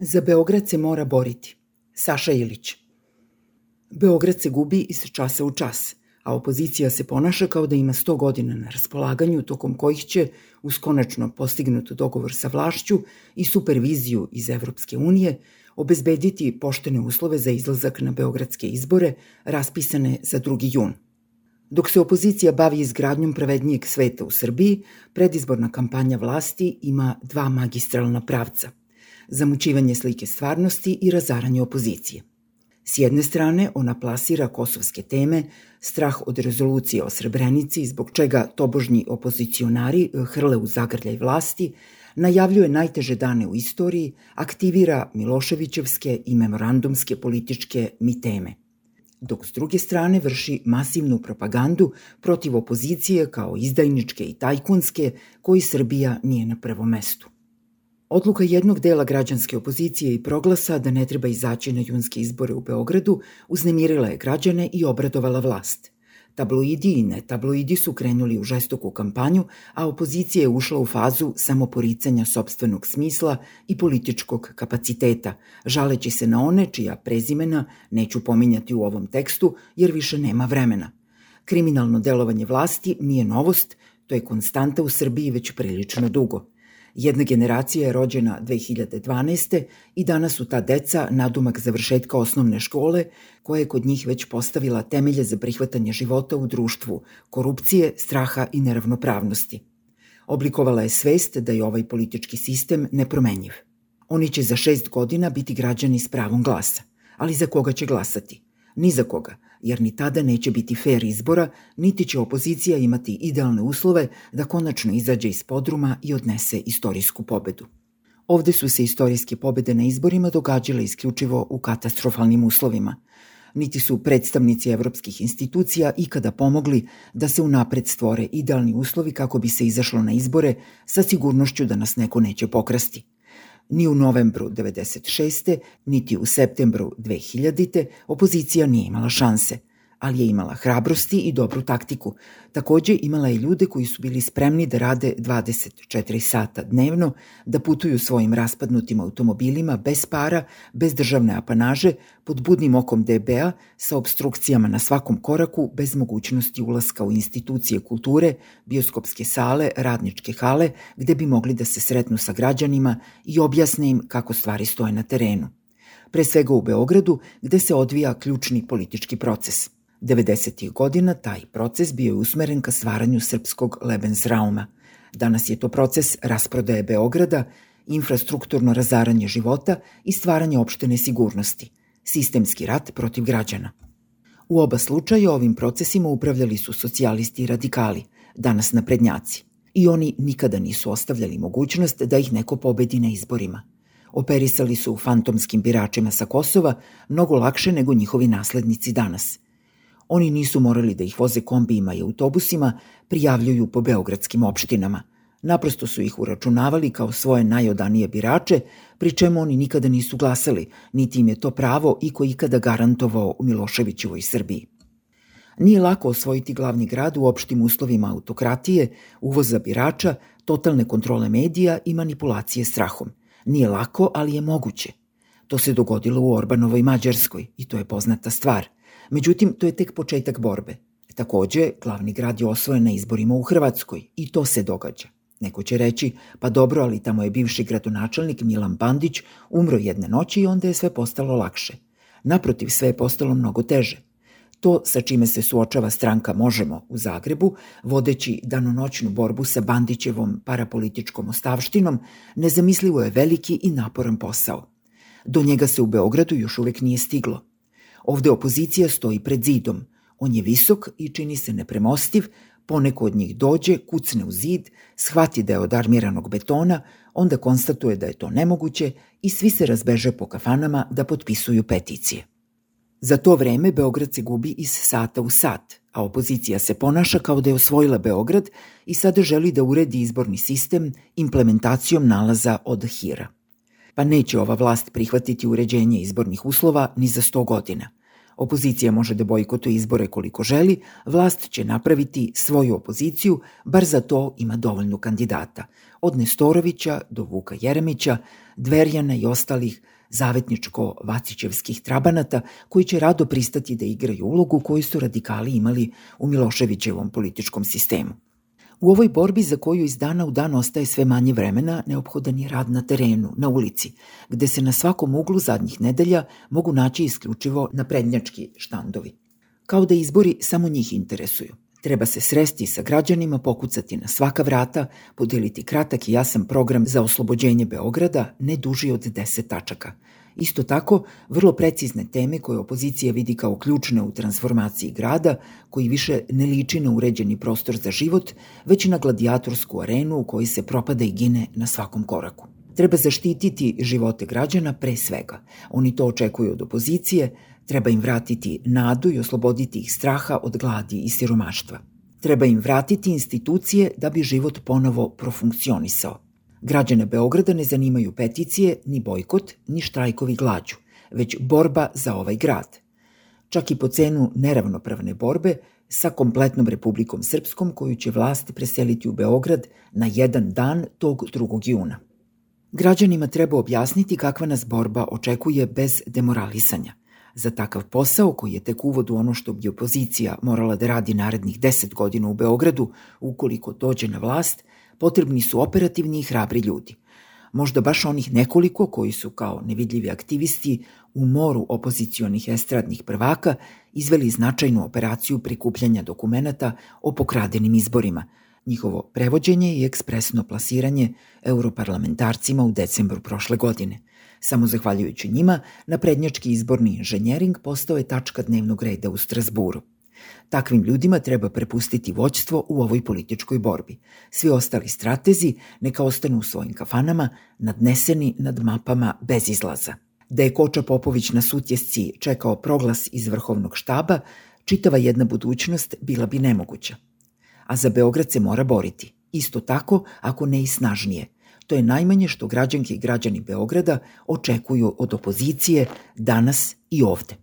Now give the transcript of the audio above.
Za Beograd se mora boriti. Saša Ilić. Beograd se gubi iz časa u čas, a opozicija se ponaša kao da ima 100 godina na raspolaganju, tokom kojih će, uz konačno postignut dogovor sa vlašću i superviziju iz Evropske unije, obezbediti poštene uslove za izlazak na beogradske izbore raspisane za 2. jun. Dok se opozicija bavi izgradnjom pravednijeg sveta u Srbiji, predizborna kampanja vlasti ima 2 magistralna pravca – zamućivanje slike stvarnosti i razaranje opozicije. S jedne strane, ona plasira kosovske teme, strah od rezolucije o Srebrenici, zbog čega tobožnji opozicionari hrle u zagrljaj vlasti, najavljuje najteže dane u istoriji, aktivira Miloševićevske i memorandumske političke miteme. Dok s druge strane vrši masivnu propagandu protiv opozicije kao izdajničke i tajkunske, koji Srbija nije na prvom mestu. Odluka jednog dela građanske opozicije i Proglasa da ne treba izaći na junske izbore u Beogradu uznemirila je građane i obradovala vlast. Tabloidi i netabloidi su krenuli u žestoku kampanju, a opozicija je ušla u fazu samoporicanja sopstvenog smisla i političkog kapaciteta, žaleći se na one čija prezimena neću pominjati u ovom tekstu jer više nema vremena. Kriminalno delovanje vlasti nije novost, to je konstanta u Srbiji već prilično dugo. Jedna generacija je rođena 2012. i danas su ta deca nadumak završetka osnovne škole, koja je kod njih već postavila temelje za prihvatanje života u društvu, korupcije, straha i neravnopravnosti. Oblikovala je svest da je ovaj politički sistem nepromenjiv. Oni će za 6 godina biti građani s pravom glasa, ali za koga će glasati? Ni za koga, jer ni tada neće biti fer izbora, niti će opozicija imati idealne uslove da konačno izađe iz podruma i odnese istorijsku pobedu. Ovde su se istorijske pobede na izborima događale isključivo u katastrofalnim uslovima. Niti su predstavnici evropskih institucija ikada pomogli da se unapred stvore idealni uslovi kako bi se izašlo na izbore sa sigurnošću da nas neko neće pokrasti. Ni u novembru 1996. niti u septembru 2000. opozicija nije imala šanse, ali je imala hrabrosti i dobru taktiku. Takođe imala je ljude koji su bili spremni da rade 24 sata dnevno, da putuju svojim raspadnutim automobilima bez para, bez državne apanaže, pod budnim okom DB-a, sa obstrukcijama na svakom koraku, bez mogućnosti ulaska u institucije kulture, bioskopske sale, radničke hale, gde bi mogli da se sretnu sa građanima i objasne im kako stvari stoje na terenu. Pre svega u Beogradu, gde se odvija ključni politički proces. 90. godina taj proces bio je usmeren ka stvaranju srpskog Lebensrauma. Danas je to proces rasprodaje Beograda, infrastrukturno razaranje života i stvaranje opšte nesigurnosti, sistemski rat protiv građana. U oba slučaja ovim procesima upravljali su socijalisti i radikali, danas naprednjaci. I oni nikada nisu ostavljali mogućnost da ih neko pobedi na izborima. Operisali su fantomskim biračima sa Kosova mnogo lakše nego njihovi naslednici danas. Oni nisu morali da ih voze kombijima i autobusima, prijavljuju po beogradskim opštinama. Naprosto su ih uračunavali kao svoje najodanije birače, pri čemu oni nikada nisu glasali, niti im je to pravo iko ikada garantovao u Miloševićevoj Srbiji. Nije lako osvojiti glavni grad u opštim uslovima autokratije, uvoza birača, totalne kontrole medija i manipulacije strahom. Nije lako, ali je moguće. To se dogodilo u Orbanovoj Mađarskoj i to je poznata stvar. Međutim, to je tek početak borbe. Takođe, glavni grad je osvojen na izborima u Hrvatskoj i to se događa. Neko će reći, pa dobro, ali tamo je bivši gradonačelnik Milan Bandić umro jedne noći i onda je sve postalo lakše. Naprotiv, sve je postalo mnogo teže. To sa čime se suočava stranka Možemo u Zagrebu, vodeći danonoćnu borbu sa Bandićevom parapolitičkom ostavštinom, nezamislivo je veliki i naporan posao. Do njega se u Beogradu još uvek nije stiglo. Ovde opozicija stoji pred zidom. On je visok i čini se nepremostiv, poneko od njih dođe, kucne u zid, shvati da je od armiranog betona, onda konstatuje da je to nemoguće i svi se razbeže po kafanama da potpisuju peticije. Za to vreme Beograd se gubi iz sata u sat, a opozicija se ponaša kao da je osvojila Beograd i sada želi da uredi izborni sistem implementacijom nalaza od Hira. Pa neće ova vlast prihvatiti uređenje izbornih uslova ni za 100 godina. Opozicija može da bojkotuje izbore koliko želi, vlast će napraviti svoju opoziciju, bar za to ima dovoljno kandidata. Od Nestorovića do Vuka Jeremića, Dverjana i ostalih zavetničko-vacićevskih trabanata koji će rado pristati da igraju ulogu koju su radikali imali u Miloševićevom političkom sistemu. U ovoj borbi za koju iz dana u dan ostaje sve manje vremena, neophodan je rad na terenu, na ulici, gde se na svakom uglu zadnjih nedelja mogu naći isključivo naprednjački štandovi. Kao da izbori samo njih interesuju. Treba se sresti sa građanima, pokucati na svaka vrata, podeliti kratak i jasan program za oslobođenje Beograda, ne duži od 10 tačaka. Isto tako, vrlo precizne teme koje opozicija vidi kao ključne u transformaciji grada, koji više ne liči na uređeni prostor za život, već na gladijatorsku arenu u kojoj se propada i gine na svakom koraku. Treba zaštititi živote građana pre svega. Oni to očekuju od opozicije, treba im vratiti nadu i osloboditi ih straha od gladi i siromaštva. Treba im vratiti institucije da bi život ponovo profunkcionisao. Građane Beograda ne zanimaju peticije, ni bojkot, ni štrajkovi glađu, već borba za ovaj grad. Čak i po cenu neravnopravne borbe sa kompletnom Republikom Srpskom koju će vlast preseliti u Beograd na jedan dan tog 2. juna. Građanima treba objasniti kakva nas borba očekuje bez demoralisanja. Za takav posao, koji je tek uvod u ono što bi opozicija morala da radi narednih 10 godina u Beogradu, ukoliko dođe na vlast, potrebni su operativni i hrabri ljudi. Možda baš onih nekoliko koji su kao nevidljivi aktivisti u moru opozicionih estradnih prvaka izveli značajnu operaciju prikupljanja dokumenata o pokradenim izborima, njihovo prevođenje i ekspresno plasiranje europarlamentarcima u decembru prošle godine. Samo zahvaljujući njima, naprednjački izborni inženjering postao je tačka dnevnog reda u Strazburu. Takvim ljudima treba prepustiti vođstvo u ovoj političkoj borbi. Svi ostali stratezi neka ostanu u svojim kafanama, nadneseni nad mapama bez izlaza. Da je Koča Popović na Sutjesci čekao proglas iz Vrhovnog štaba, čitava jedna budućnost bila bi nemoguća. A za Beograd se mora boriti. Isto tako, ako ne i snažnije. To je najmanje što građanke i građani Beograda očekuju od opozicije danas i ovde.